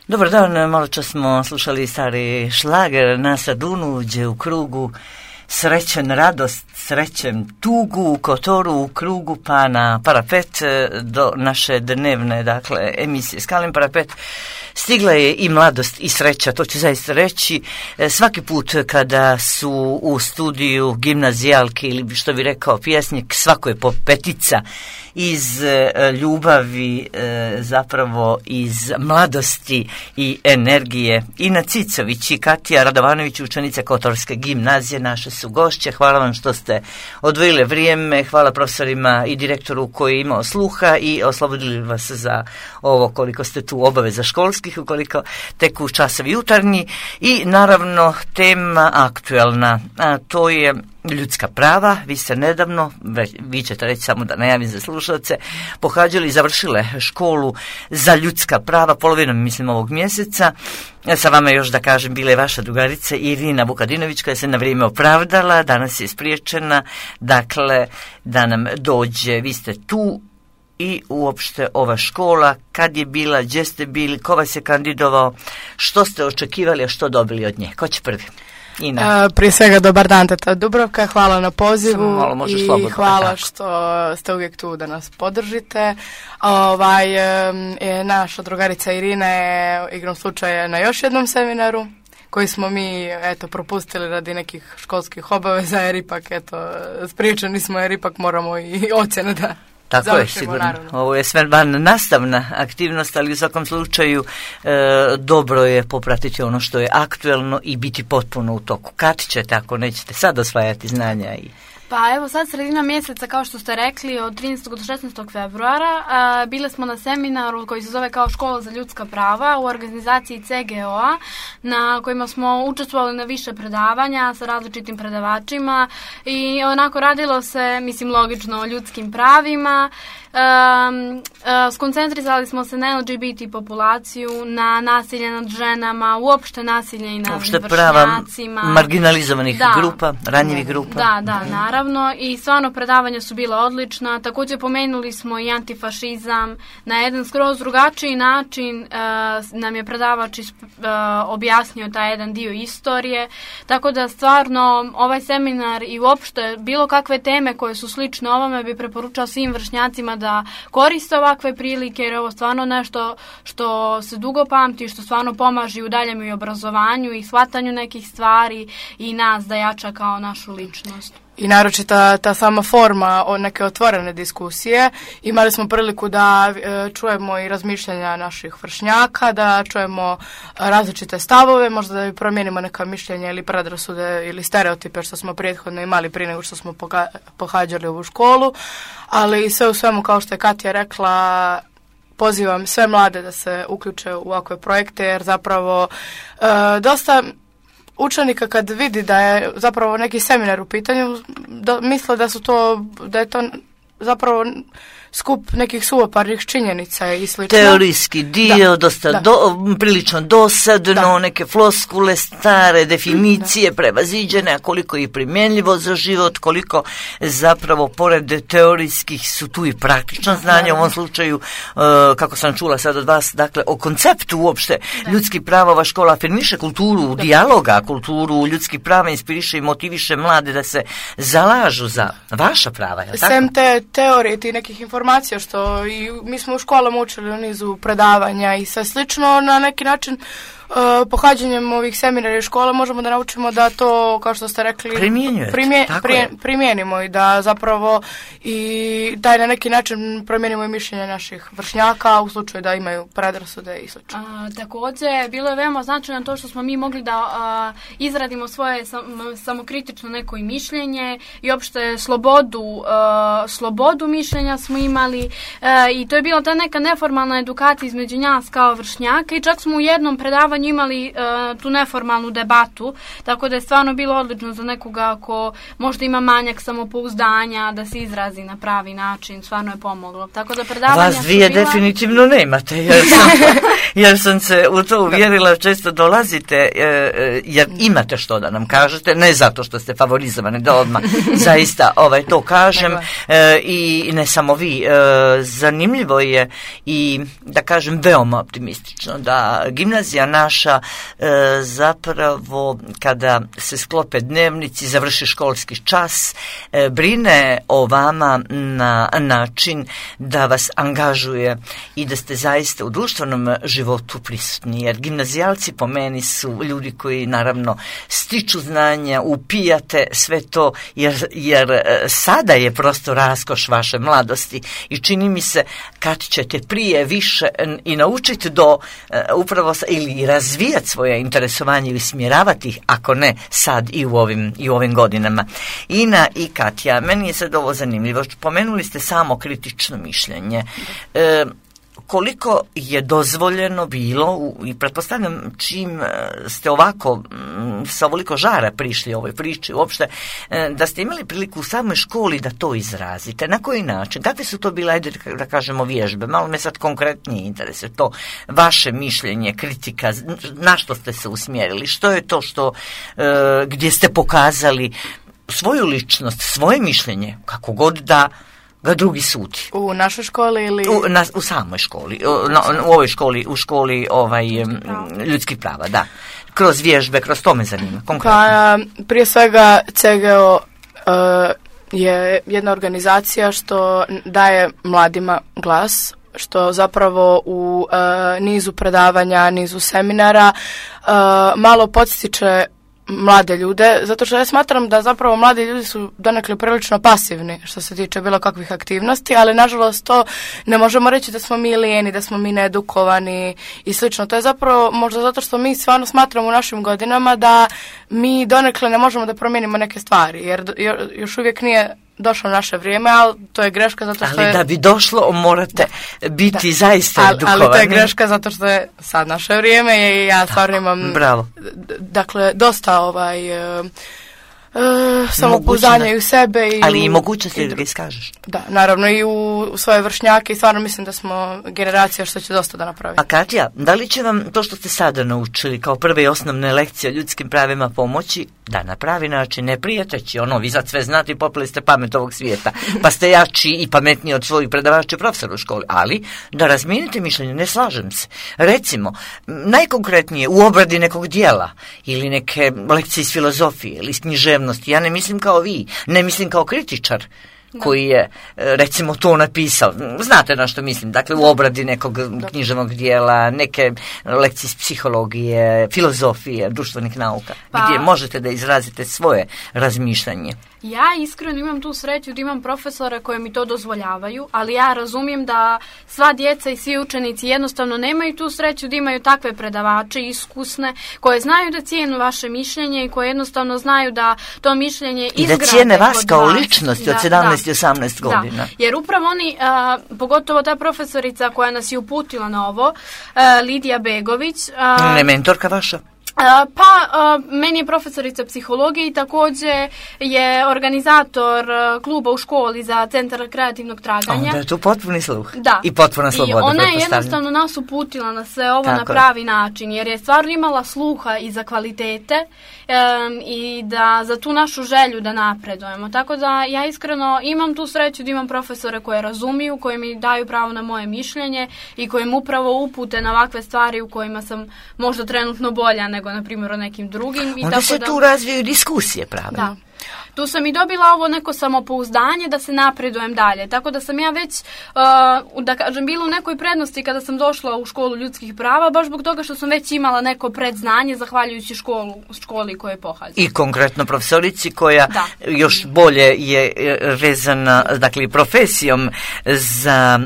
Dobar dan, malo čas smo slušali stari šlager na Sadunu, gdje u krugu srećen radost, srećem tugu, u kotoru, u krugu, pa na parapet do naše dnevne, dakle, emisije Skalin parapet. Stigla je i mladost i sreća, to ću zaista reći. Svaki put kada su u studiju gimnazijalke ili što bi rekao pjesnik, svako je po petica iz ljubavi, zapravo iz mladosti i energije. Ina Cicović i Katija Radovanović, učenice Kotorske gimnazije, naše su gošće. Hvala vam što ste odvojile vrijeme, hvala profesorima i direktoru koji je imao sluha i oslobodili vas za ovo koliko ste tu obaveza školskih, ukoliko teku časovi jutarnji i naravno tema aktuelna, a to je ljudska prava. Vi ste nedavno, vi ćete reći samo da najavim za slušalce, pohađali i završile školu za ljudska prava polovinom, mislim, ovog mjeseca. Sa vama još da kažem bila je vaša drugarica Irina Vukadinović koja se na vrijeme opravdala, danas je spriječena, dakle da nam dođe. Vi ste tu i uopšte ova škola, kad je bila, gdje ste bili, ko vas je kandidovao, što ste očekivali, a što dobili od nje? Ko će prvi? Prije svega dobar dan, teta Dubravka, hvala na pozivu i hvala što ste uvijek tu da nas podržite. Naša drugarica Irina je igrom slučaja na još jednom seminaru koji smo mi propustili radi nekih školskih obaveza, jer ipak spriječeni smo, jer ipak moramo i ocjene da tako je, sigurno. Naravno. Ovo je sve van nastavna aktivnost, ali u svakom slučaju dobro je popratiti ono što je aktuelno i biti potpuno u toku. Kad ćete, ako nećete sad osvajati znanja i... Pa evo sad sredina mjeseca, kao što ste rekli, od 13. do 16. februara bile smo na seminaru koji se zove kao Škola za ljudska prava u organizaciji CGO-a, na kojima smo učestvovali na više predavanja sa različitim predavačima i onako radilo se, mislim, logično o ljudskim pravima. Skoncentrisali smo se na LGBT populaciju, na nasilje nad ženama, uopšte nasilje i nad vršnjacima, marginalizovanih grupa, ranjivih grupa. Da, naravno, i stvarno predavanja su bila odlična. Također pomenuli smo i antifašizam na jedan skroz drugačiji način. Nam je predavač objasnio taj jedan dio istorije, tako da stvarno ovaj seminar i uopšte bilo kakve teme koje su slične ovome bi preporučao svim vršnjacima da koriste ovakve prilike, jer je ovo stvarno nešto što se dugo pamti, što stvarno pomaže u daljem i obrazovanju i shvatanju nekih stvari i nas da jača kao našu ličnost. I naročito ta sama forma neke otvorene diskusije. Imali smo priliku da čujemo i razmišljanja naših vršnjaka, da čujemo različite stavove, možda da promijenimo neka mišljenja ili predrasude ili stereotipe što smo prethodno imali prije nego što smo pohađali ovu školu. Ali sve u svemu, kao što je Katja rekla, pozivam sve mlade da se uključe u ovakve projekte, jer zapravo dosta učenika kad vidi da je zapravo neki seminar u pitanju, misle da je to zapravo skup nekih suvoparnih činjenica i slično. Teorijski dio, prilično dosadno, neke floskule, stare definicije, prevaziđene, a koliko je primjenljivo za život, koliko zapravo pored teorijskih su tu i praktično znanje, u ovom slučaju, kako sam čula sad od vas, dakle, o konceptu uopšte ljudskih prava. Ova škola afirmiše kulturu dijaloga, kulturu ljudskih prava, inspiriše i motiviše mlade da se zalažu za vaša prava, je li tako? Sem te teorije, ti nekih informacija, što i mi smo u školama učili u nizu predavanja i sve slično, na neki način pohađanjem ovih seminara i škola možemo da naučimo da to, kao što ste rekli, primijenimo i da zapravo i da na neki način promijenimo i mišljenje naših vršnjaka u slučaju da imaju predrasude i slično. Također, bilo je veoma značajno to što smo mi mogli da izradimo svoje samokritično neko i mišljenje i opšte slobodu mišljenja smo imali i to je bila ta neka neformalna edukacija između nas kao vršnjaka i čak smo u jednom predavanju imali tu neformalnu debatu, tako da je stvarno bilo odlično za nekoga ko možda ima manjak samopouzdanja da se izrazi na pravi način, stvarno je pomoglo. Tako da predavanja vas dvije definitivno nemate, jer jer sam se u to uvjerila, često dolazite, jer imate što da nam kažete, ne zato što ste favorizovani, da odmah zaista to kažem, i ne samo vi. Zanimljivo je i, da kažem, veoma optimistično da gimnazija naša zapravo kada se sklope dnevnici, završi školski čas, brine o vama na način da vas angažuje i da ste zaista u društvenom životu prisutni, jer gimnazijalci po meni su ljudi koji naravno stiču znanja, upijate sve to, jer sada je prosto raskoš vaše mladosti i čini mi se kad ćete prije više i naučiti do upravo ili razvijati svoje interesovanje ili smjeravati ih, ako ne sad i u ovim godinama. Ina i Katja, meni je sad ovo zanimljivo. Pomenuli ste samo kritično mišljenje. Koliko je dozvoljeno bilo, i pretpostavljam čim ste ovako sa ovoliko žara prišli ovoj priči uopšte, da ste imali priliku u samoj školi da to izrazite. Na koji način? Kakve su to bile, ajde da kažemo, vježbe? Malo me sad konkretnije interese. To vaše mišljenje, kritika, na što ste se usmjerili? Što je to gdje ste pokazali svoju ličnost, svoje mišljenje, kako god da ga drugi sudi? U našoj školi ili? U samoj školi, u ovoj školi, u školi ljudskih prava, da. Kroz vježbe, kroz to me zanima, konkretno. Pa, prije svega CGO je jedna organizacija što daje mladima glas, što zapravo u nizu predavanja, nizu seminara malo podstiče mlade ljude, zato što ja smatram da zapravo mladi ljudi su donekle prilično pasivni što se tiče bilo kakvih aktivnosti, ali nažalost to ne možemo reći da smo mi lijeni, da smo mi needukovani i slično. To je zapravo možda zato što mi stvarno smatramo u našim godinama da mi donekle ne možemo da promijenimo neke stvari, jer još uvijek nije došlo naše vrijeme, ali to je greška zato što ali da bi došlo morate biti zaista edukovani. Ali to je greška zato što je sad naše vrijeme i ja stvarno imam dakle dosta samopouzdanja i u sebe. Ali i mogućnosti da ga iskažeš. Da, naravno i u svoje vršnjake i stvarno mislim da smo generacija što će dosta da napravi. A Katja, da li će vam to što ste sada naučili kao prve i osnovne lekcije o ljudskim pravima pomoći da na pravi način, ne prijeteći vi sad sve znate i popili ste pamet ovog svijeta, pa ste jači i pametniji od svojih predavača i profesora u školi, ali da razmijenite mišljenje, ne slažem se. Recimo, najkonkretnije u obradi nekog dijela ili neke lekcije iz filozofije ili iz književnosti, ja ne mislim kao vi, ne mislim kao kritičar koji je, recimo, to napisao. Znate na što mislim, dakle, u obradi nekog književnog dijela, neke lekcije iz psihologije, filozofije, društvenih nauka, gdje možete da izrazite svoje razmišljanje. Ja iskreno imam tu sreću da imam profesore koje mi to dozvoljavaju, ali ja razumijem da sva djeca i svi učenici jednostavno nemaju tu sreću da imaju takve predavače iskusne, koje znaju da cijenu vaše mišljenje i koje jednostavno znaju da to mišljenje izgrade. I da cijene vas kao ličnosti od 17 i 18 godina. Da, jer upravo oni, pogotovo ta profesorica koja nas je uputila na ovo, Lidija Begović. Ne mentorka vaša? Meni je profesorica psihologije i također je organizator kluba u školi za centar kreativnog traganja. Onda je tu potpuni sluh. Da. I potpuna sloboda. I ona je jednostavno nas uputila na sve ovo na pravi način, jer je stvarno imala sluha i za kvalitete i da za tu našu želju da napredujemo. Tako da ja iskreno imam tu sreću da imam profesore koje razumiju, koji mi daju pravo na moje mišljenje i koji mi upravo upute na ovakve stvari u kojima sam možda trenutno bolja nego na primjer o nekim drugim. Onda se tu razvijaju diskusije, pravno. Da. Tu sam i dobila ovo neko samopouzdanje da se napredujem dalje. Tako da sam ja već, da kažem, bila u nekoj prednosti kada sam došla u školu ljudskih prava, baš zbog toga što sam već imala neko predznanje zahvaljujući školi koje pohađam. I konkretno profesorici koja još bolje je vezana, dakle, profesijom za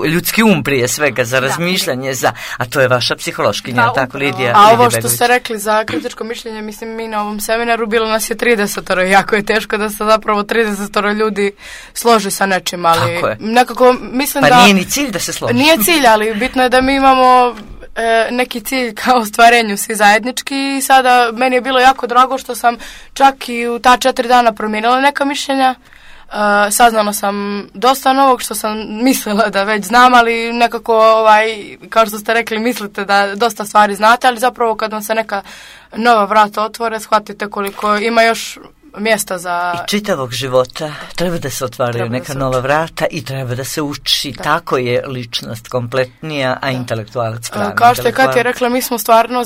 ljudski prije svega, za razmišljanje, a to je vaša psihološkinja, tako, Lidija? A ovo što ste rekli za kritičko mišljenje, mislim, mi na ovom seminaru bilo nas je 30, jako je teško da se zapravo 30 ljudi složi sa nečim, ali nekako mislim da... Pa nije ni cilj da se složi. Nije cilj, ali bitno je da mi imamo neki cilj kao ostvarenju svi zajednički i sada meni je bilo jako drago što sam čak i u ta 4 dana promijenila neka mišljenja, saznala sam dosta novog što sam mislila da već znam, ali nekako, kao što ste rekli, mislite da dosta stvari znate, ali zapravo kad vam se neka nova vrata otvore, shvatite koliko ima još mjesta za... I čitavog života treba da se otvaraju neka nova vrata i treba da se uči. Da. Tako je ličnost kompletnija, a intelektualac pravi. Kao što je Katja rekla, mi smo stvarno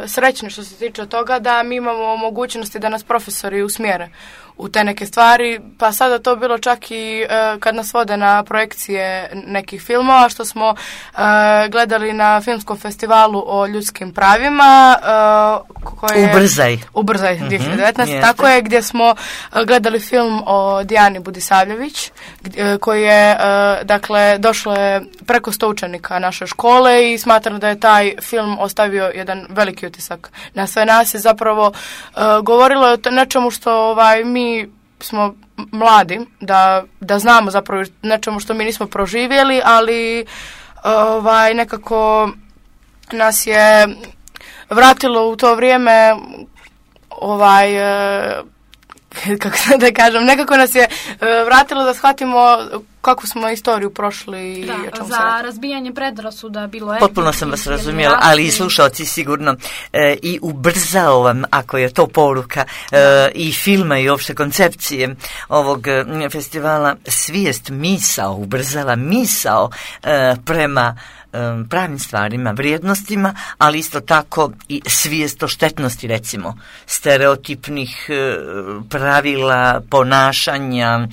srećni što se tiče toga da mi imamo mogućnosti da nas profesori usmjere u te neke stvari, pa sada to bilo čak i kad nas vode na projekcije nekih filmova, što smo gledali na filmskom festivalu o ljudskim pravima. Ubrzaj 2019, tako je, gdje smo gledali film o Dijani Budisavljević, koji je, dakle, došlo je preko 100 učenika naše škole i smatram da je taj film ostavio jedan veliki utisak na sve nas i zapravo govorilo je o nečemu što mi smo mladi, da znamo zapravo nečemu što mi nismo proživjeli, ali nekako nas je vratilo u to vrijeme kako da kažem, nekako nas je vratilo da shvatimo kakvu smo istoriju prošli i o čemu se radi. Za razbijanje predrasuda bilo je... Potpuno sam vas razumjela, ali i slušalci sigurno i ubrzao vam, ako je to poruka i filma i opšte koncepcije ovog festivala, svijest misao, ubrzala misao prema pravim stvarima, vrijednostima, ali isto tako i svijest o štetnosti, recimo, stereotipnih pravila, ponašanja,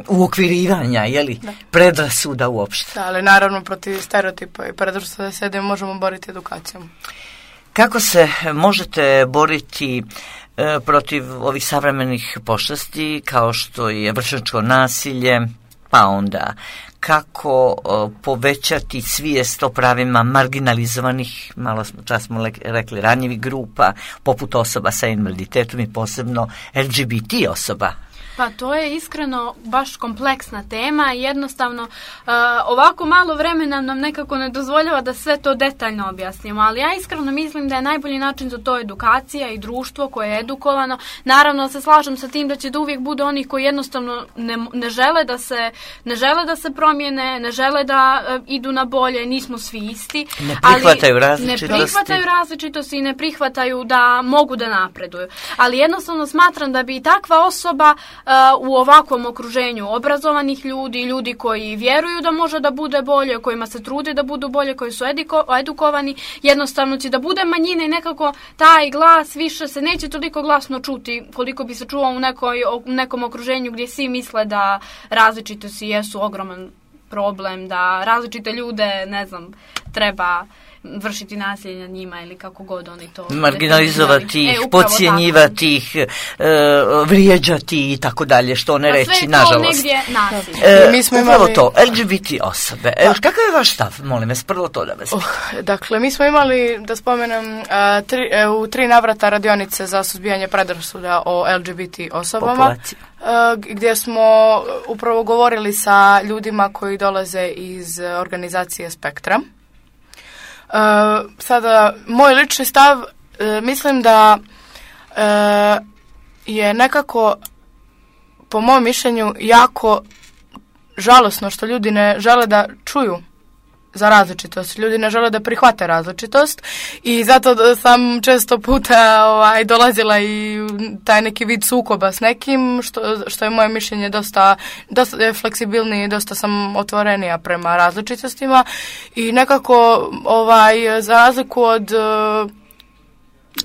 uokvirivanja, predrasuda uopšte. Da, ali naravno protiv stereotipa i predrasuda se možemo boriti edukacijom. Kako se možete boriti protiv ovih savremenih pošasti, kao što je vršnjačko nasilje, pa onda kako povećati svijest o pravima marginalizovanih, čas smo rekli, ranjivih grupa, poput osoba sa invaliditetom i posebno LGBT osoba? Pa to je iskreno baš kompleksna tema i jednostavno ovako malo vremena nam nekako ne dozvoljava da sve to detaljno objasnimo, ali ja iskreno mislim da je najbolji način za to edukacija i društvo koje je edukovano. Naravno se slažem sa tim da će da uvijek bude onih koji jednostavno ne žele da se promijene, ne žele da idu na bolje, nismo svi isti. Ne prihvataju različitosti i ne prihvataju da mogu da napreduju. Ali jednostavno smatram da bi takva osoba u ovakvom okruženju obrazovanih ljudi koji vjeruju da može da bude bolje, kojima se trude da budu bolje, koji su edukovani, jednostavno će da bude manjina i nekako taj glas više se neće toliko glasno čuti koliko bi se čuo u nekom okruženju gdje svi misle da različitosti jesu ogroman problem, da različite ljude, treba vršiti nasilje nad njima ili kako god oni to... Marginalizovati ih, podcjenjivati ih, vrijeđati i tako dalje, što ne reći, nažalost. Sve to negdje nasilje. Upravo to, LGBT osobe. Kakav je vaš stav, molim vas, prvo to da vas Dakle, mi smo imali, da spomenem, u 3 navrata radionice za suzbijanje predrasuda o LGBT osobama, gdje smo upravo govorili sa ljudima koji dolaze iz organizacije Spektra. Sada, moj lični stav, mislim da je nekako, po mom mišljenju, jako žalosno što ljudi ne žele da čuju za različitost. Ljudi ne žele da prihvate različitost i zato sam često puta dolazila i taj neki vid sukoba s nekim, što je moje mišljenje dosta fleksibilnije i dosta sam otvorenija prema različitostima i nekako za razliku od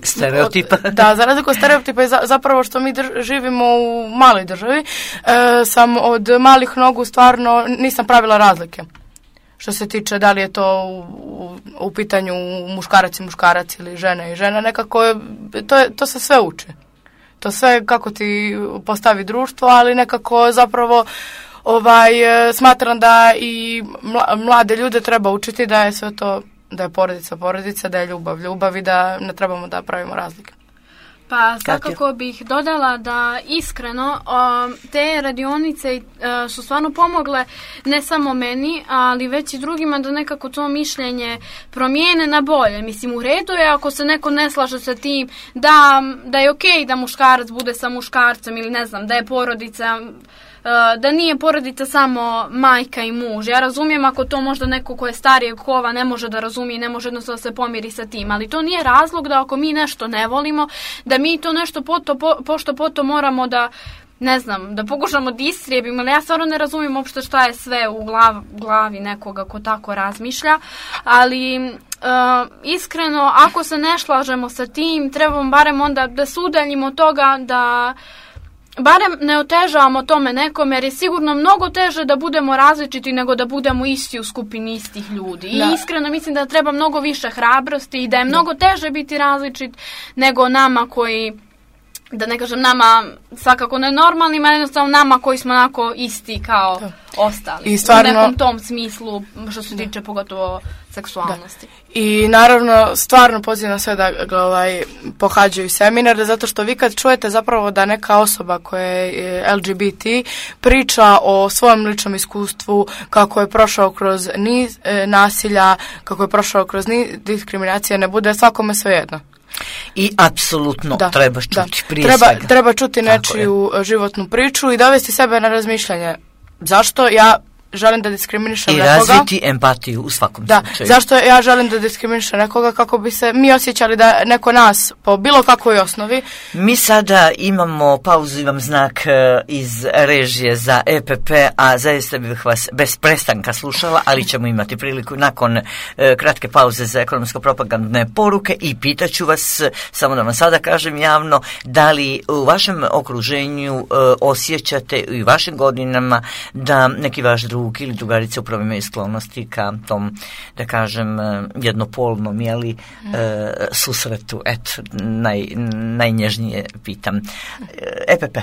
stereotipa. Za razliku od stereotipa i zapravo što mi živimo u maloj državi, sam od malih nogu stvarno nisam pravila razlike. Što se tiče da li je to u pitanju muškarac ili žena i žena, nekako to se sve uči. To sve kako ti postavi društvo, ali nekako zapravo smatram da i mlade ljude treba učiti da je sve to, da je porodica, da je ljubav i da ne trebamo da pravimo razlike. Pa svakako bih dodala da iskreno te radionice su stvarno pomogle ne samo meni, ali već i drugima da nekako to mišljenje promijene na bolje. Mislim, u redu je ako se neko ne slaže sa tim da je okej da muškarac bude sa muškarcem ili ne znam, da je porodica, da nije porodica samo majka i muž. Ja razumijem ako to možda neko ko je starijeg kova ne može da razumije, ne može jednostavno da se pomiri sa tim, ali to nije razlog da ako mi nešto ne volimo, da mi to nešto pošto poto moramo da, ne znam, da pokušamo da istrijebimo, ali ja stvarno ne razumijem uopšte šta je sve u glavi nekoga ko tako razmišlja, ali iskreno, ako se ne slažemo sa tim, trebamo barem onda da se udaljimo od toga, da barem ne otežavamo tome nekom, jer je sigurno mnogo teže da budemo različiti nego da budemo isti u skupini istih ljudi. I iskreno mislim da treba mnogo više hrabrosti i da je mnogo teže biti različit nego nama koji, da ne kažem nama svakako nenormalnima, jednostavno nama koji smo onako isti kao ostali. I stvarno, u nekom tom smislu što se tiče pogotovo seksualnosti. I naravno stvarno pozivam sve da pohađaju seminar, zato što vi kad čujete zapravo da neka osoba koja je LGBT priča o svom ličnom iskustvu, kako je prošao kroz niz nasilja, kako je prošao kroz niz diskriminacije, ne bude svakome svejedno. I apsolutno treba čuti prije svega. Treba čuti nečiju životnu priču i dovesti sebe na razmišljanje. Zašto ja želim da diskriminišem nekoga? I razviti empatiju u svakom slučaju. Zašto ja želim da diskriminišem nekoga kako bi se mi osjećali da neko nas po bilo kakvoj osnovi. Mi sada imamo pauzu, imam znak iz režije za EPP, a zaista bih vas bez prestanka slušala, ali ćemo imati priliku nakon kratke pauze za ekonomsko-propagandne poruke i pitaću vas, samo da vam sada kažem javno, da li u vašem okruženju osjećate i u vašim godinama da neki vaš drug ili drugarice upravo imaju sklonosti ka tom, da kažem, jednopolnom, susretu. Eto, najnježnije pitam. EPP.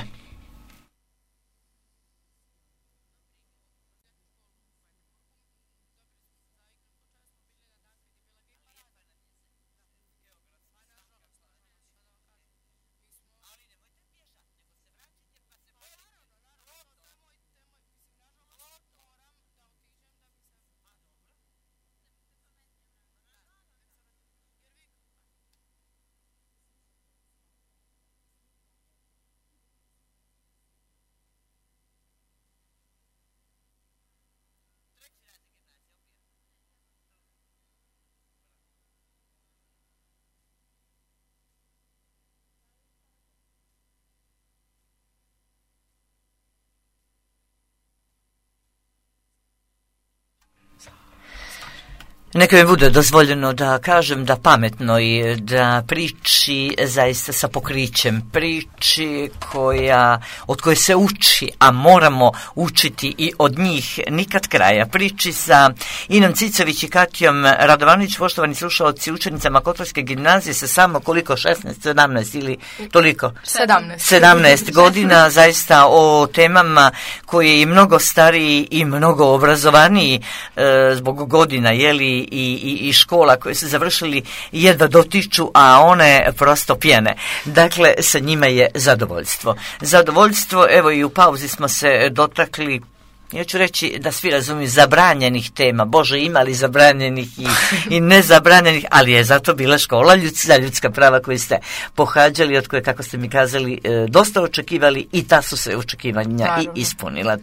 Neka mi bude dozvoljeno da kažem da pametno i da priči zaista sa pokrićem, priči od koje se uči, a moramo učiti i od njih nikad kraja. Priči sa Inom Cicović i Katijom Radovanović, poštovani slušalci, učenicama Kotorske gimnazije sa samo koliko, 16, 17 ili toliko? 17 godina, zaista o temama koji je mnogo stariji i mnogo obrazovaniji zbog godina, i škola koje su završili jedva dotiču, a one prosto pjene. Dakle, sa njima je zadovoljstvo. Evo i u pauzi smo se dotakli, ja ću reći da svi razumiju, zabranjenih tema. Bože, ima li zabranjenih i nezabranjenih, ali je zato bila škola za ljudska prava koju ste pohađali, od koje, kako ste mi kazali, dosta očekivali i ta su se očekivanja i ispunila.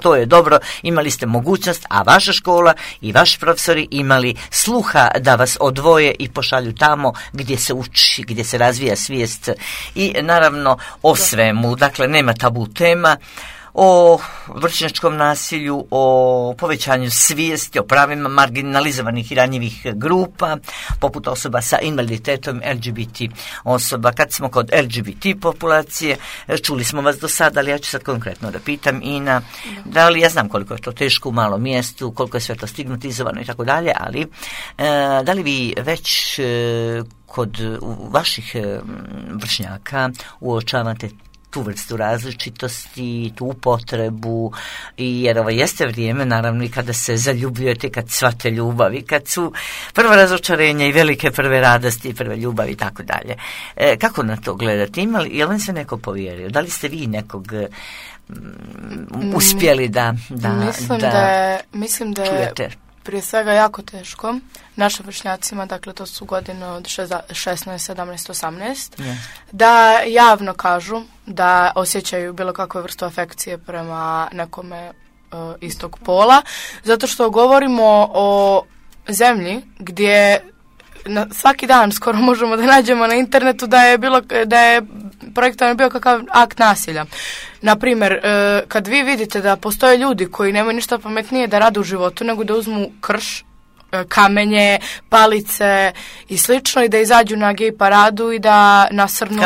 To je dobro. Imali ste mogućnost, a vaša škola i vaši profesori imali sluha da vas odvoje i pošalju tamo gdje se uči, gdje se razvija svijest i naravno o svemu. Dakle, nema tabu tema. O vršnjačkom nasilju, o povećanju svijesti, o pravima marginalizovanih i ranjivih grupa, poput osoba sa invaliditetom, LGBT osoba. Kad smo kod LGBT populacije, čuli smo vas do sada, ali ja ću sad konkretno da pitam, Ina, da li, ja znam koliko je to teško u malom mjestu, koliko je sve to stigmatizovano i tako dalje, ali da li vi već kod vaših vršnjaka uočavate tu vrstu različitosti, tu upotrebu, jer ovo jeste vrijeme, naravno, i kada se zaljubljujete, kad shvate ljubavi, kad su prva razočarenja i velike prve radosti i prve ljubavi i tako dalje. Kako na to gledate? Je li vam se neko povjerio? Da li ste vi nekog uspjeli da mislim da čujete? Prije svega jako teško našim vršnjacima, dakle to su godine od 16, 17, 18, da javno kažu da osjećaju bilo kakve vrstu afekcije prema nekome istog pola, zato što govorimo o zemlji gdje svaki dan skoro možemo da nađemo na internetu da je projektovan bio kakav akt nasilja. Naprimjer, kad vi vidite da postoje ljudi koji nemaju ništa pametnije da rade u životu nego da uzmu krš, kamenje, palice i slično i da izađu na gej paradu i da nasrnu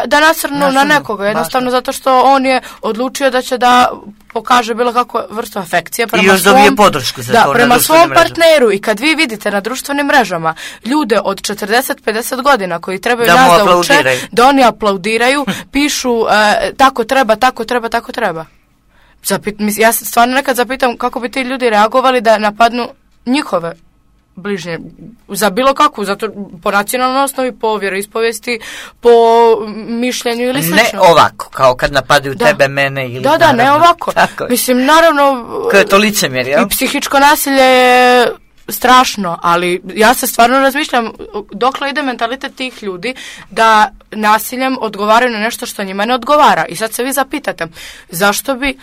da nasrnu na nekoga, jednostavno zato što on je odlučio da će da pokaže bilo kakvu vrstu afekcije prema i još dobije podršku za to prema svom partneru. I kad vi vidite na društvenim mrežama ljude od 40-50 godina koji trebaju da nas da uče, da oni aplaudiraju, pišu tako treba. Ja se stvarno nekad zapitam kako bi ti ljudi reagovali da napadnu njihove bližnje za bilo kakvu, zato po nacionalnoj osnovi, po vjeroispovijesti, po mišljenju ili slično. Ne ovako, kao kad napadaju tebe, mene ili... Da, ne ovako. Mislim, naravno... Koje je to licemjerje, jel? I psihičko nasilje je strašno, ali ja se stvarno razmišljam dokle ide mentalitet tih ljudi da nasiljem odgovaraju na nešto što njima ne odgovara. I sad se vi zapitate, zašto bi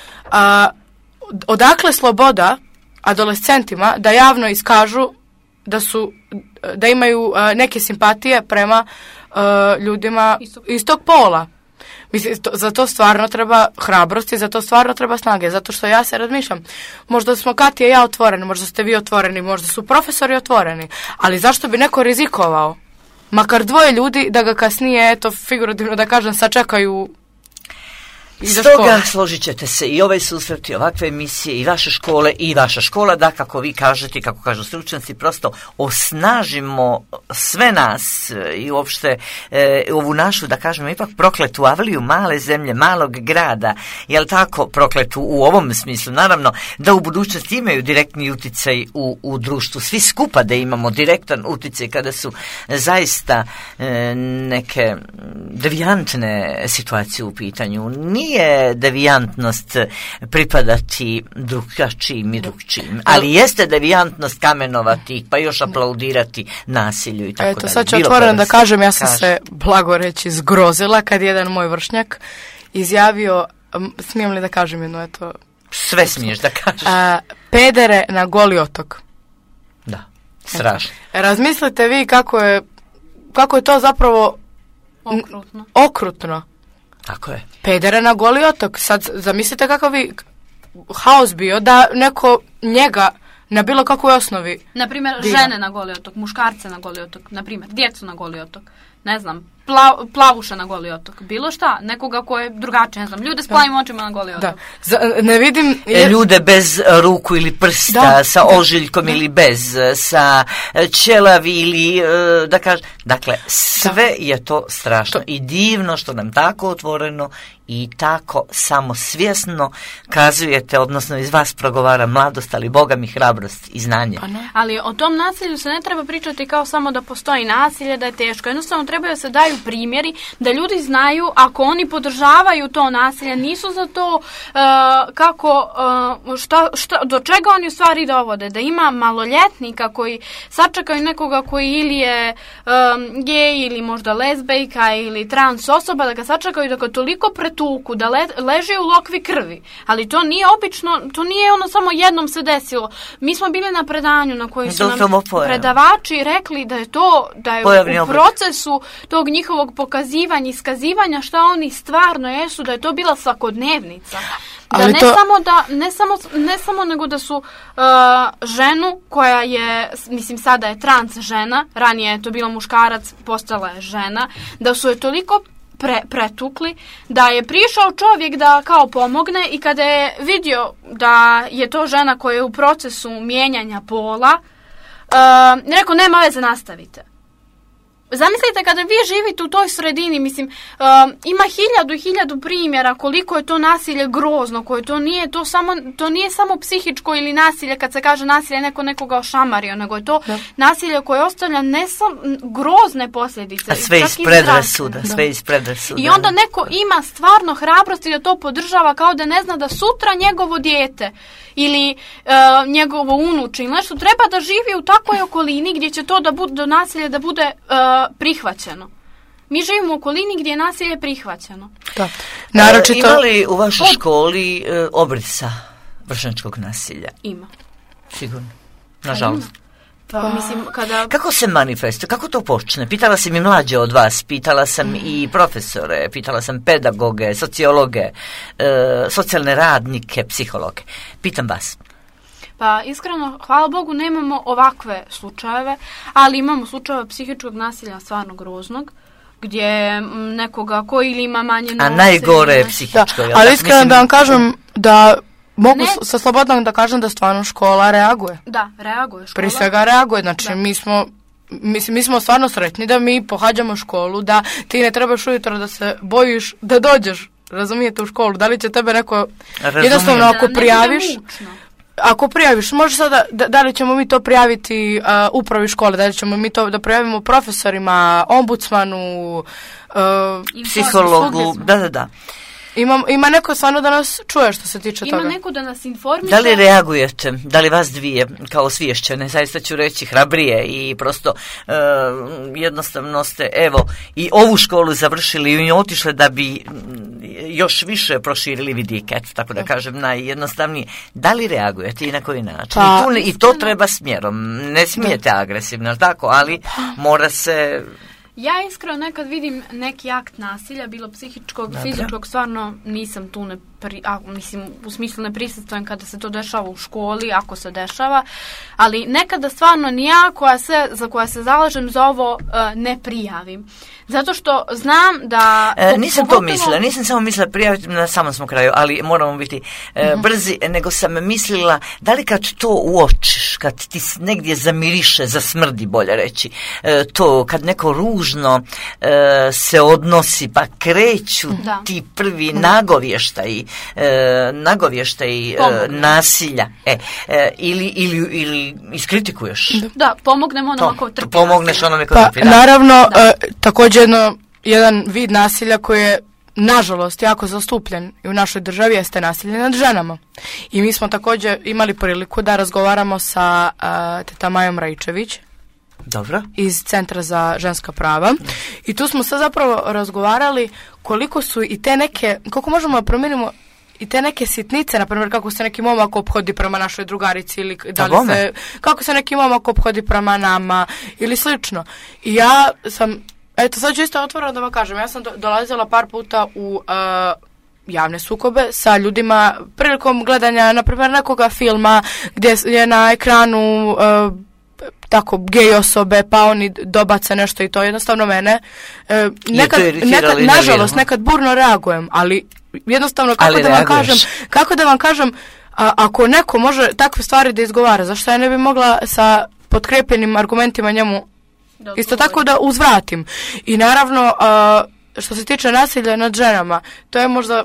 odakle sloboda adolescentima da javno iskažu da imaju neke simpatije prema ljudima istog pola. Mislim, za to stvarno treba hrabrosti, za to stvarno treba snage, zato što ja se razmišljam, možda smo Katija i ja otvoreni, možda ste vi otvoreni, možda su profesori otvoreni, ali zašto bi neko rizikovao, makar dvoje ljudi, da ga kasnije, eto, figurativno da kažem, sačekaju. Stoga složit ćete se i ovaj susret i ovakve emisije i vaše škole i vaša škola, da kako vi kažete, kako kažu stručnjaci, prosto osnažimo sve nas i uopšte ovu našu, da kažemo, ipak prokletu Avliju, male zemlje, malog grada, jel tako, prokletu u ovom smislu, naravno, da u budućnosti imaju direktni uticaj u društvu, svi skupa da imamo direktan uticaj kada su zaista neke devijantne situacije u pitanju. Nije devijantnost pripadati drugačijim i drugčijim, ali jeste devijantnost kamenovati, pa još aplaudirati nasilju i tako dalje. Eto, sad ću otvoreno da kažem, ja sam se, blago reći, zgrozila kad jedan moj vršnjak izjavio, smijem li da kažem jedno, eto... Sve smiješ da kažeš. Pedere na Goli otok. Da, strašno. Razmislite vi kako je to zapravo okrutno. Tako je. Pedere na Goli otok. Sad zamislite kakav bi haos bio da neko njega na bilo kakvoj osnovi... Naprimjer, žene na Goli otok, muškarce na Goli otok, naprimjer, djecu na Goli otok, ne znam, plavuša na Goli otok, bilo šta, nekoga ko je drugačije, ne znam, ljude s plavim očima na Goli otok. Ne vidim... Ljude bez ruku ili prsta, sa ožiljkom ili bez, sa ćelavi ili, da kažem, dakle, sve je to strašno i divno što nam tako otvoreno i tako samosvjesno kazujete, odnosno iz vas progovara mladost, ali Boga mi hrabrost i znanje. Ali o tom nasilju se ne treba pričati kao samo da postoji nasilje, da je teško. Jednostavno treba da se daju primjeri, da ljudi znaju ako oni podržavaju to nasilje, nisu za to do čega oni u stvari dovode. Da ima maloljetnika koji sačekaju nekoga koji ili je gej ili možda lezbejka ili trans osoba, da ga sačekaju da ga toliko pretuku, da leže u lokvi krvi. Ali to nije obično, to nije ono samo jednom se desilo. Mi smo bili na predanju na koji su nam predavači rekli da je to, da je u procesu tog njihovog pokazivanja, iskazivanja šta oni stvarno jesu, da je to bila svakodnevnica. Da ne samo nego da su ženu koja je, mislim sada je trans žena, ranije je to bila muškarac, postala je žena, da su je toliko pretukli, da je prišao čovjek da kao pomogne i kada je vidio da je to žena koja je u procesu mijenjanja pola, rekao nema veze, nastavite. Zamislite kada vi živite u toj sredini, mislim, ima hiljadu primjera koliko je to nasilje grozno, koje to nije samo psihičko ili nasilje, kad se kaže nasilje neko nekoga ošamario, nego je to nasilje koje ostavlja ne samo grozne posljedice. A sve iz predrasuda, sve iz predrasuda. I onda neko ima stvarno hrabrosti da to podržava kao da ne zna da sutra njegovo dijete ili njegovo unuče ili nešto treba da živi u takvoj okolini gdje će to do nasilje da bude prihvaćeno. Mi živimo u okolini gdje je nasilje prihvaćeno. Da. Naročito... Ima li u vašoj školi obrisa vršnjačkog nasilja? Ima. Sigurno. Nažalost. Pa, mislim, Kako se manifestuje? Kako to počne? Pitala sam i mlađe od vas, pitala sam i profesore, pitala sam pedagoge, sociologe, socijalne radnike, psihologe. Pitam vas. Pa iskreno, hvala Bogu, nemamo ovakve slučajeve, ali imamo slučajeve psihičkog nasilja stvarno groznog, gdje nekoga koji ili ima manje novce... A najgore je psihičko. Da, ali iskreno da vam kažem da mogu sa slobodnom da kažem da stvarno škola reaguje. Da, reaguje škola. Prije svega reaguje, znači mi smo stvarno sretni da mi pohađamo školu, da ti ne trebaš ujutro da se bojiš da dođeš, razumijete, u školu, da li će tebe neko... Jednostavno ako prijaviš... Ako prijaviš, može sada, da li ćemo mi to prijaviti upravi škole, da li ćemo mi to da prijavimo profesorima, ombudsmanu, psihologu, da. Ima neko stvarno da nas čuje što se tiče toga. Ima neko da nas informiše. Da li reagujete? Da li vas dvije kao osviješćene, zaista ću reći hrabrije i prosto jednostavno ste i ovu školu završili i otišli da bi još više proširili vidike, tako da kažem najjednostavnije. Da li reagujete i na koji način? I to treba smjerom. Ne smijete agresivno, tako, ali mora se... Ja iskreno nekad vidim neki akt nasilja, bilo psihičkog, fizičkog, stvarno nisam tu, mislim, u smislu ne prisustvujem kada se to dešava u školi, ako se dešava, ali nekada stvarno ni ja za koja se zalažem za ovo ne prijavim. Zato što znam da... Nisam samo mislila prijaviti, na samom smo kraju, ali moramo biti brzi, nego sam mislila da li kad to uočiš, kad ti negdje zamiriše, zasmrdi, bolje reći, to kad neko ružno se odnosi, pa kreću ti prvi nagovještaj nasilja, ili iskritikuješ. Da, pomognemo onome ko trpi. Pomogneš onome ko trpi. Naravno, također jedan vid nasilja koji je nažalost jako zastupljen i u našoj državi jeste nasilje nad ženama. I mi smo također imali priliku da razgovaramo sa teta Majom Rajčević. Dobro. Iz Centra za ženska prava. I tu smo sad zapravo razgovarali koliko su i te neke, koliko možemo da promijenimo i te neke sitnice, na primjer kako se neki momak ophodi prema našoj drugarici ili kako se neki momak ophodi prema nama ili slično. I ja sam, sad ću isto otvoreno da vam kažem, ja sam dolazila par puta u javne sukobe sa ljudima prilikom gledanja, na primjer, nekoga filma gdje je na ekranu tako gej osobe, pa oni dobace nešto i to jednostavno mene nažalost nekad burno reagujem, ali jednostavno kako da vam kažem ako neko može takve stvari da izgovara, zašto ja ne bi mogla sa potkrepljenim argumentima njemu isto tako da uzvratim. I naravno što se tiče nasilja nad ženama, to je možda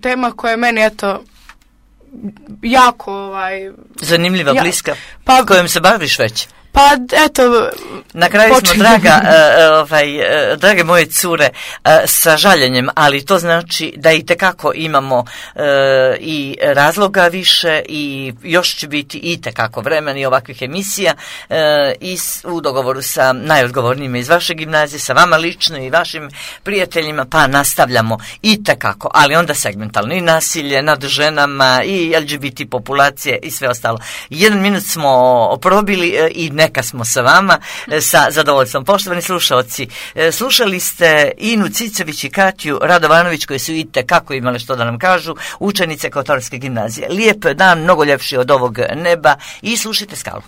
tema koja je meni jako zanimljiva, bliska, kojom se baviš već. Pa eto, na kraju smo, drage moje cure, sa žaljenjem, ali to znači da itekako imamo i razloga više i još će biti itekako vremena i ovakvih emisija i u dogovoru sa najodgovornijima iz vaše gimnazije, sa vama lično i vašim prijateljima, pa nastavljamo itekako, ali onda segmentalno i nasilje nad ženama i LGBT populacije i sve ostalo. 1 minut smo probili i neka smo sa vama sa zadovoljstvom. Poštovani slušalci, slušali ste Inu Cicović i Katju Radovanović koji su itekako imali što da nam kažu, učenice Kotorske gimnazije. Lijep dan, mnogo ljepši od ovog neba i slušajte Skalu.